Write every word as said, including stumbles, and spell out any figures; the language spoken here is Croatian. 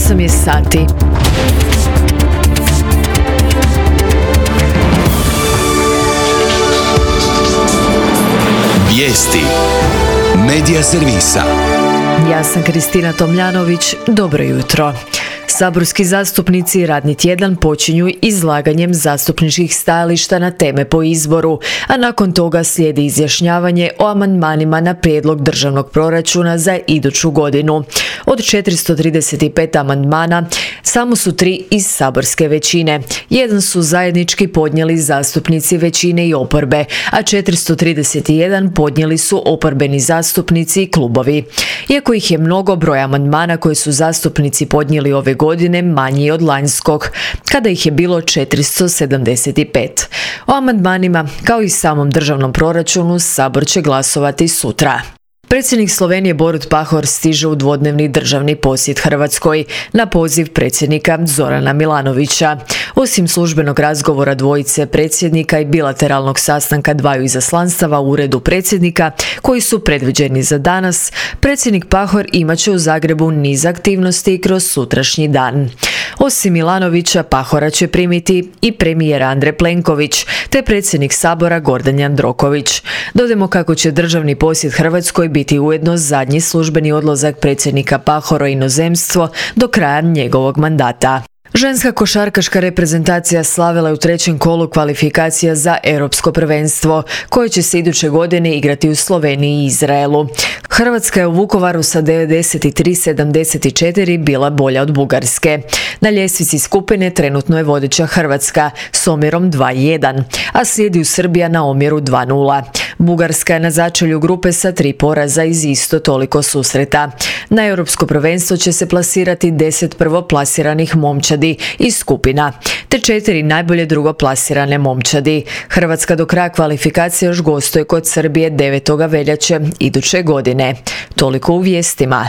osam je sati. Vijesti Medija servisa. Ja sam Kristina Tomljanović, dobro jutro. Saborski zastupnici i radni tjedan počinju izlaganjem zastupničkih stajališta na teme po izboru, a nakon toga slijedi izjašnjavanje o amandmanima na prijedlog državnog proračuna za iduću godinu. Od četiristo trideset pet amandmana samo su tri iz saborske većine. Jedan su zajednički podnijeli zastupnici većine i oporbe, a četiristo trideset jedan podnijeli su oporbeni zastupnici i klubovi. Iako ih je mnogo, broj amandmana koje su zastupnici podnijeli ove godine manji od lanjskog, kada ih je bilo četiristo sedamdeset pet. O amandmanima, kao i samom državnom proračunu, Sabor će glasovati sutra. Predsjednik Slovenije Borut Pahor stiže u dvodnevni državni posjet Hrvatskoj na poziv predsjednika Zorana Milanovića. Osim službenog razgovora dvojice predsjednika i bilateralnog sastanka dvaju izaslanstava u uredu predsjednika, koji su predviđeni za danas, predsjednik Pahor imat će u Zagrebu niz aktivnosti kroz sutrašnji dan. Osim Milanovića, Pahora će primiti i premijer Andrej Plenković, te predsjednik Sabora Gordan Jandroković. Dodajmo kako će državni posjet Hrvatskoj biti ujedno zadnji službeni odlazak predsjednika Pahora u inozemstvo do kraja njegovog mandata. Ženska košarkaška reprezentacija slavila je u trećem kolu kvalifikacija za europsko prvenstvo, koje će se iduće godine igrati u Sloveniji i Izraelu. Hrvatska je u Vukovaru sa devedeset tri sedamdeset četiri bila bolja od Bugarske. Na ljestvici skupine trenutno je vodeća Hrvatska s omjerom dva jedan, a slijedi Srbija na omjeru dva nula. Bugarska je na začelju grupe sa tri poraza iz isto toliko susreta. Na europsko prvenstvo će se plasirati deset prvoplasiranih momčadi iz skupina, te četiri najbolje drugoplasirane momčadi. Hrvatska do kraja kvalifikacije još gostuje kod Srbije devetog veljače iduće godine. Toliko u vijestima.